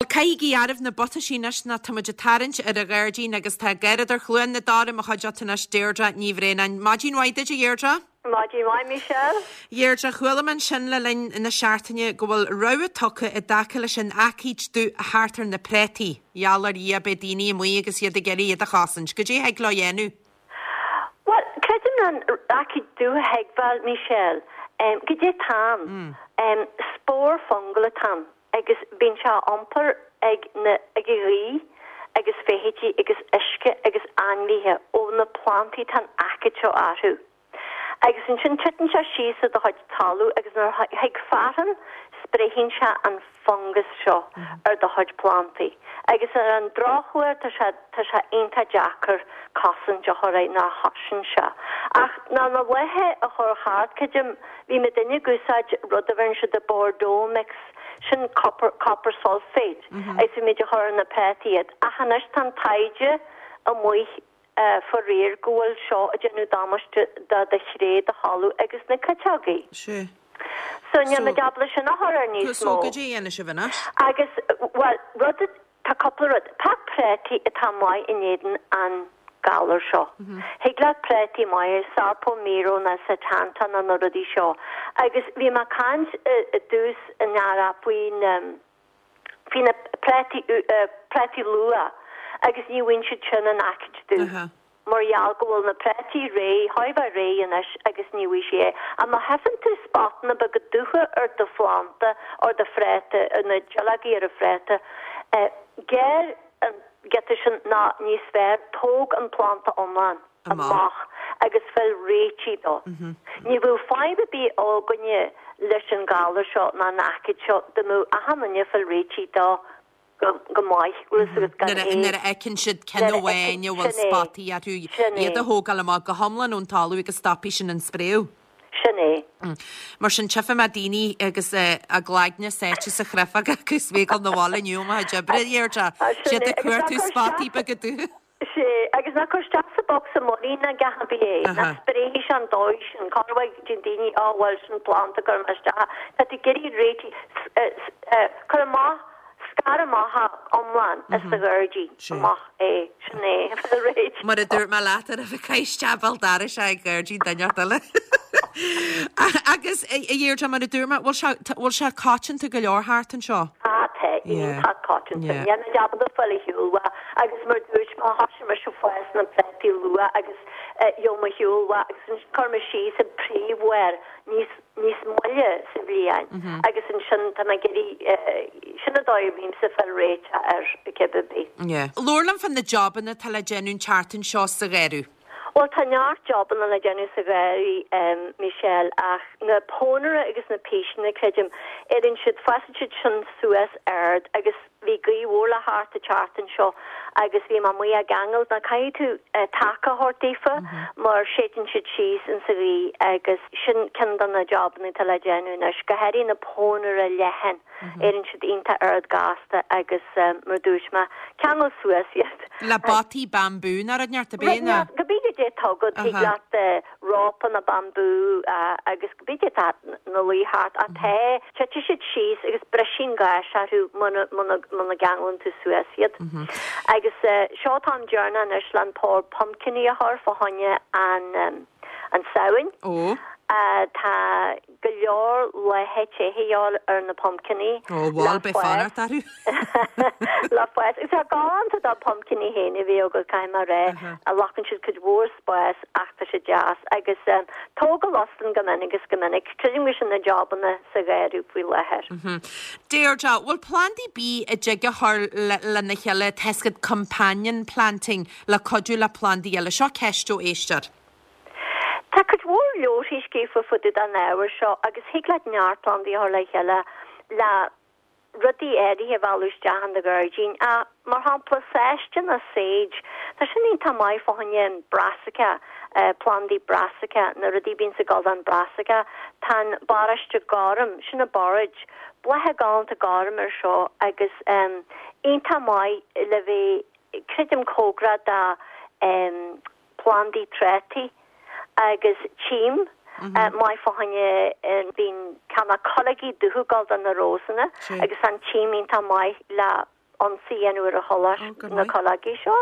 caithigí oraibh na butaisí anois nó tá muid ag tarraingt ar an ghairdín agus tá Garradóir Chluain na Dara i mo chuideachta anois, Deirdre Ní Bhraonáin. Maidin mhaith duit a Dheirdre. Maidin mhaith Michelle. Dheirdre, chuala mé ansin le linn na seachtaine go bhfuil rabhadh tugtha i dtaca leis an aicíd dubh thart ar na préataí. Gheall ar Dhia beidh daoine amuigh agus iad ag iarraidh iad a chosaint. Goidé a thig leo a dhéanamh? Bhuel, creidim an aicíd dubh a thuigbheáil, Michelle. Goidé atá ann? Spore fungal atá ann agus bíonn sé á iompar ag na, ag an ghaoth agus feithidí agus uisce agus ainmhithe ó na plantaí atá an aicíd seo orthu. Agus ansin titeann sé síos ar do chuid talamh agus nuair a thig fearthainn spréigheann sé an fungas seo ar do chuid plantaí. Agus ar an drochuair tá sé tá sé iontach deacair cosaint a chur air ná chosain sé. Ach ná na laethe a chur thart creidim bhí muidinne ag úsáid rud a bheireann siad Bordeaux mix sin copper copper sulphate agus bhí muid a chur ar na préataí iad. Ach anois tá an taighde amuigh faraor go bhfuil seo ag déanamh damáiste do do chré, do thalamh agus na citeogaí. Sea. So níl muid ábalta sin a chur air níos So mó. goidé a dhéanfaidh sibh anois? Agus, bhuel, rud, tá cúpla rud. Tá préataí atá maith in éadan an galar seo. Thig leat préataí maithe, Sarpo Mira nó Setanta nó na rudaí seo. Agus bhí mé ag caint i dtús an earraigh faoi na, Bhí na préataí, préataí luath agus ní bhfaigheann siad sin an aicíd dubh mar gheall go bhfuil na préataí réidh, chóir a bheith réidh anois agus ní bhfaighidh sí é. Ach má tchífeann tú spotanna beaga dubha ar do phlanta, ar do phréata, ar na duilleogaí ar an phréata, gearr an giota sin nó níos fearr, tóg an planta iomlán. amach agus fáil réitigh dó. Ní bheadh fadhb ar bith againne leis an galar seo ná an aicíd seo dá mbeadh achan duine ag fáil réitigh dó go maith, bhfuil fhios agat, gan é. Nuair a fheiceann siad ceann amháin a bhfuil spotaí orthu, iad a thógáil amach go hiomlán ón talamh agus stopfaidh sin an spréadh. Sin é. Mar sin, tchífidh mé daoine agus a gcloigne sáite sa chréafóg acu is mé ag dul 'na bhaile inniu ó mo chuid oibre, a Dheirdre. Siad ag cuartú spotaí beaga dubha. Sea, agus ná cuir isteach sa bocsa muirín ná a dhath ar bith é, ná spréigh sé an dóigh sin, corruair deireann daoine, á bhuel, sin planda, cuirfidh mé isteach é. Tá tú ag iarraidh réitigh, cuir amach, scar amach é iomlán as do ghairdín, amach é, sin é, fáil réidh. Mar a dúirt mé leat, ar a bheith isteach béal dorais é ag gairdín duine inteacht eile. Agus, a Dheirdre, mar a dúirt mé, bhfuil sé, bhfuil sé coitianta go leor thart anseo? Á, tá, iontach coitianta. Níl muid ábalta fáil ar shiúl uaidh. Agus mar dúirt mé, thoisigh mise ag fás na préataí luath agus gheobhaidh mé ar shiúl uaidh agus ansin chuir mé síos an príomhbharr níos, níos moille sa bhliain agus ansin tá mé ag iarraidh, sin an dóigh a bhímse ag fáil réiteach air cibé ar bith. Yeah. Labhair liom fá na jobanna atá le déanamh an tseachtain seo sa gharradh. Bhuel tá neart jobanna le déanamh sa gharraí, Michelle, ach na pónaire agus na píseanna, creidim, éiríonn siad, fásann siad sin suas ard agus bhí gaoth mhór le theacht an tseachtain seo agus bhí mé amuigh á gceangal. Now caithfidh tú taca a thabhairt daofa mar séideann siad síos insa ghaoth agus sin ceann de na jobanna atá le déanamh anois, go háirithe na pónaire leathan. Éiríonn siad iontach ard gasta agus mar dúirt mé, ceangal suas iad. Le bataí bambú nó rud inteacht ab é nó? Cibé goidé atá agat, thig leat rópa nó bambú agus cibé goidé atá ina luí thart ach tá, titfidh siad síos agus brisfidh an ghais orthu muna muna gceanglann tú suas iad. Agus seo an t-am deireanach anois le an pár pumpkiní a chur fá choinne an an Samhain. Ó. Tá. go leor laetha te a dhíobháil ar na pumpkiní Ó, bhal, beidh fanacht orthu. le fás. Agus tá galánta do pumpkiní féin a bhí agat, caithfidh mé a rá. Glacann siad cuid mhór spáis ach tá siad deas. Agus tóg an loscán go minic is go minic. Creidim go sin na jobanna sa gharradh faoi láthair. Deirdre, bhfuil plandaí ar bith a dtig a chur lena chéile, tá 'fhios agat companion planting, le cuidiú le plandaí eile? Seo ceist ó éisteoir. Tá cuid mhór leabharthaí scríofa fá dtaobh den ábhar seo agus thig leat neart plandaí a chur le chéile le rudaí áirithe a mhealladh isteach in do ghairdín. Mar shampla, sáiste nó sage, tá sin iontach maith fá choinne an brassica, plandaí brassica, na rudaí a bhíonns ag dul don brassica. Tá an borráiste gorm, sin an borage, blátha galánta gorm air seo agus iontach maith le bheith, creidim, cóngarach do plandaí trátaí agus tím maith fá choinne bíonn ceann na cuileogaí dubha ag dul do na rósanna agus an tím iontach maith le. ionsaí a dhéanamh ar an choláiste, na cuileogaí seo.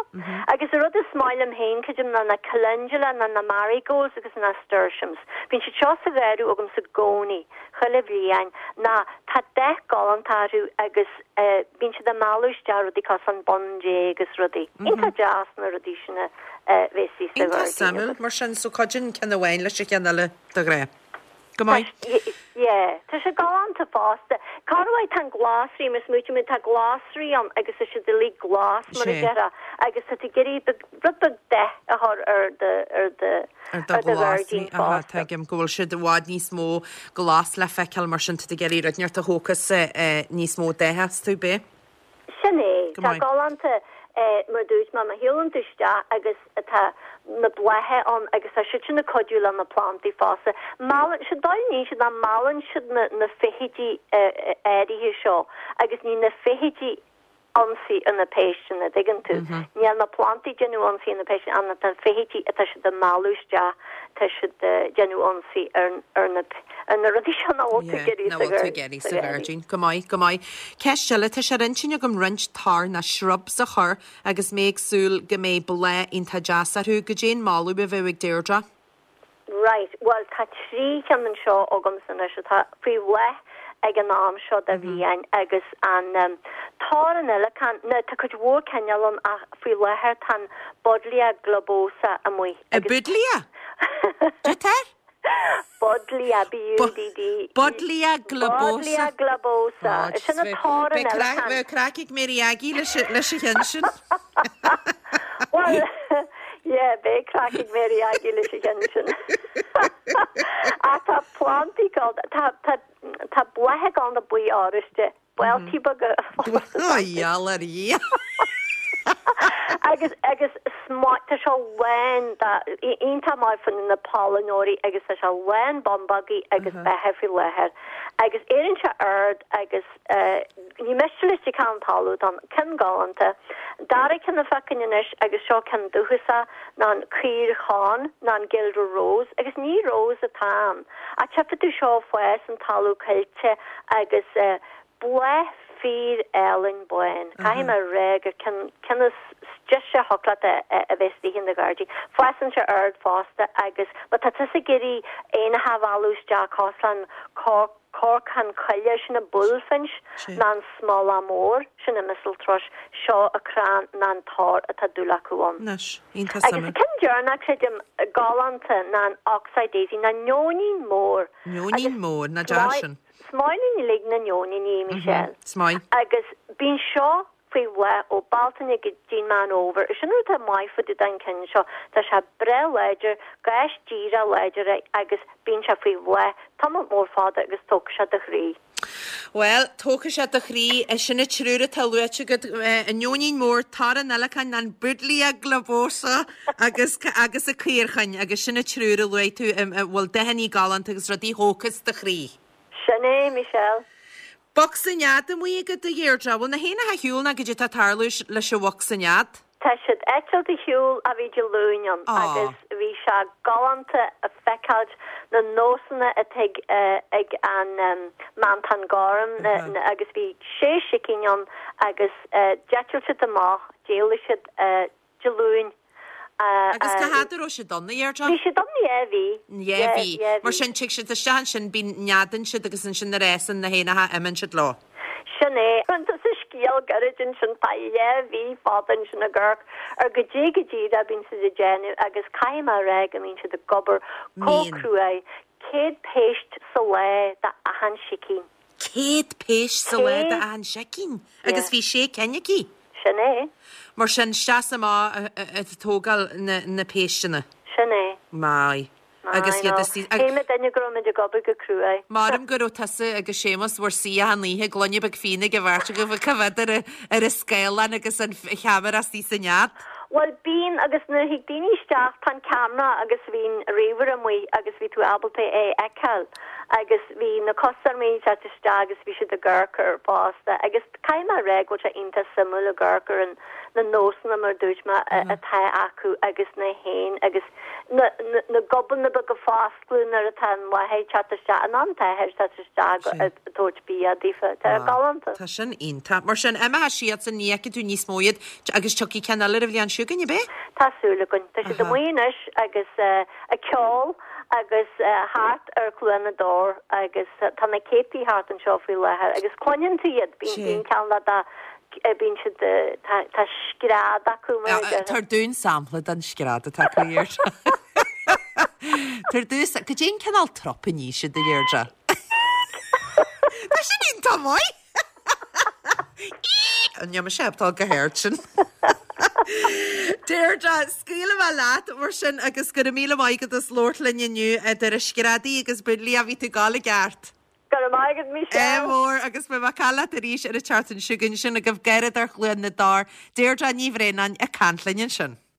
Agus an rud is maith liom féin, creidim, ná na calendula, ná na marigolds agus na nasturtiums. Bíonn siad seo sa gharradh agamsa i gcónaí, chuile bhliain, ná tá dath galánta orthu agus bíonn siad ag mealladh isteach rudaí cosúil an bun Dé agus rudaí. Iontach deas na rudaí sin a bheith istigh sa Iontach ghairdín suimiúil, agat. mar sin, so cuidíonn ceann amháin leis an cheann eile de ghnáth. Go maith. Yeah, tá sé galánta fosta. Corruair tá an glasraí, mar smaoitigh mé, tá glasraí ann agus tá siad uilig glas mar a déarfá agus tá tú ag iarraidh rud beag dath a chur ar do, ar do, ar do ar do ghlasraí. ghairdín Aha, fosta. tuigim go bhfuil siad i bhfad níos mó glas le feiceáil mar sin tá tú ag iarraidh rud inteacht a thógfas níos mó datha astu, b'é? Sin é. Go Tá maith. galánta mar a dúirt mé, má shiúlann tú isteach agus tá na blátha ann agus tá siad sin ag cuidiú le na plandaí fosta. Meallann siad, dóigh a níonn siad ná meallann siad na na feithidí áirithe seo agus ní na feithidí ionsaí ar na péisteanna, dtuigeann tú. Níl na plandaí ag déanamh ionsaí ar na péisteanna ach na feithidí atá siad ag mealladh isteach, tá siad ag déanamh ionsaí ar ar na ar na rudaí seo nach bhfuil tú ag iarraidh Nach bhfuil tú ag iarraidh sa ghairdín. Go maith, go maith. Ceist eile, tá sé ar intinn agam roinnt tor nó shrubs a chur agus mé ag súil go mbeidh bláth iontach deas orthu. Goidé an moladh a bheadh ag Deirdre? Right, bhuel tá 3 cheann anseo agamsa anois atá faoi bhláth ag an am seo de bhliain agus an tor an fhéileacáin, now tá cuid mhór cineál ann ach faoi láthair tá an Buddleia globosa amuigh agus. Buddleia? Cad é? Buddleia, B-U-D-D. Buddleia globosa. Buddleia globosa. Sin an tor an fhéileacáin. Bheadh craic ag Mary Aggie leis an cheann sin. Bhuel, yeah, beidh craic ag Mary Aggie leis an cheann sin. Ach tá plandaí galánta, tá, tá, tá blátha galánta buí oráiste, Buailtí beaga fosta. Ó, gheall ar Dhia! Agus, agus is maith, tá sé lán de, iontach maith fá na pailneoirí agus tá sé lán bumbógaí agus beithe faoi láthair. Agus éiríonn sé ard agus ní miste leis cén talamh atá ann, ceann galánta. Dara ceann a feicim anois agus seo ceann dúchasach ná an caor chonn ná an Guelder Rose agus ní rose atá ann ach tchífidh tú seo ag fás an talamh coillte agus bláth fíor álainn bán. Caithfidh mé a rá gur ceann ceann is deise a thiocfadh leat a bheith istigh in do ghairdín. Fásann sé ard fosta agus má tá tusa ag iarraidh éanacha a mhealladh isteach cosúil an corcán coille, sin an bullfinch, ná an smólach mór, sin an mistle thrush, seo an crann ná an tor atá dúil acu ann. Anois, iontach Agus suimiúil. ceann deireanach, creidim, galánta ná an oxeye daisy, ná neoinín mór. Neoinín mór, nach deas sin. Is maith linn uilig na neoiníní, Michelle. Is maith. Agus bíonn seo faoi bhláth ó Bealtaine go dtí'n Meán Fhómhair. Sin rud atá maith fá dtaobh den ceann seo. Tá sé breá láidir, gás díreach láidir é agus bíonn sé faoi bhláth tamall mór fada agus tógfaidh sé do chroí. Bhuel, tógfaidh sé do chroí. Sin an triúr atá luaite agat, an neoinín mór, tor an fhéileacáin, an Buddleia globosa agus agus an caorchonn agus sin an triúr a luaigh tú a bhfuil dathannaí galánta agus rudaí a thógfas do chroí. Sin é, Michelle. Bocsa nead amuigh agat, a Dheirdre. Bhfuil na héanacha ar shiúl nó goidé atá ag tarlú leis an bhocsa nead? Tá siad eitilt ar shiúl ó bhí Dé Luain ann agus bhí sé galánta a feiceáilt na nósanna atá ag ag an meantán gorm agus bhí sé sicín ann agus d'eitil siad amach, d'éalaigh siad Dé Luain. Agus cá fhad a raibh siad ann, a Dheirdre? Bhí siad ann dhá mhí. Dhá mhí. Mar sin, tig siad isteach ansin, bíonn, neadaíonn siad agus ansin nuair a fhásann na héanacha, imíonn siad leo. Sin é. Tusa scéal gairid ansin, tá dhá mhí fada ansin ag amharc ar goidé go díreach a bíonn siad ag déanamh agus caithfidh mé a rá go mbíonn siad ag obair chomh cruaidh, 100 péist sa lá d'achan sicín. 100 péist sa lá d'achan sicín agus bhí sé cinn aici. Sin é. Mar sin, isteach is amach ag tógáil na péisteanna. Sin é. Maith. Agus iad istigh. Shíl muidinne go raibh muid ag obair go cruaidh. Maram go raibh tusa agus Séamus bhur suí achan oíche, gloine beag fíona ag an bheirt agaibh ag coimhéad ar an scáileán agus an cheamara istigh sa nead. Bhuel, bíonn, agus nuair a thig daoine isteach, tá an ceamara agus bhí an ríomhaire amuigh agus bhí tú ábalta é a fheiceáil agus bhí na custaiméirí ag teacht isteach agus bhí siad ag amharc air fosta agus caithfidh mé a rá go bhfuil sé iontach suimiúil ag amharc ar an. Na nósanna, mar a dúirt mé, atá acu agus na héin agus na na gobanna beaga ag foscladh nuair atá an mháthair ag teacht isteach, an t-athair ag teacht isteach ag tabhairt bia daofa. Tá sé galánta. Tá sin iontach. Mar sin, imeoidh siadsan, ní fheicfidh tú níos mó iad agus tiocfaidh ceann eile ar an bhliain seo chugainn, ab é? Tá súil againn. Tá siad amuigh anois agus ag ceol agus thart ar Chluain na dTor agus tá na céadtaí thart anseo faoi láthair agus cluineann tú iad, bíonn ceann le Bíonn siad, tá scread acu mar a déarfá. Tabhair dúinn sampla den scread atá acu, a Dheirdre. Tabhair dúinn, cad é an cineál trup a ní siad, a Dheirdre? Tá sin iontach maith! Níl mise ábalta go hard sin. Deirdre, scaoilfidh mé leat mar sin agus go raibh míle maith agat as labhairt linn inniu idir screadaí agus buidlí a bhí tú ag gabháil i gceart. Go raibh maith agat, Michelle. Ádh mór agus beidh mé ag caint leat arís ar an tseachtain seo chugainn. Sin agaibh Garradóir Chluain na dTor, Deirdre Ní Bhraonáin ag caint linn ansin.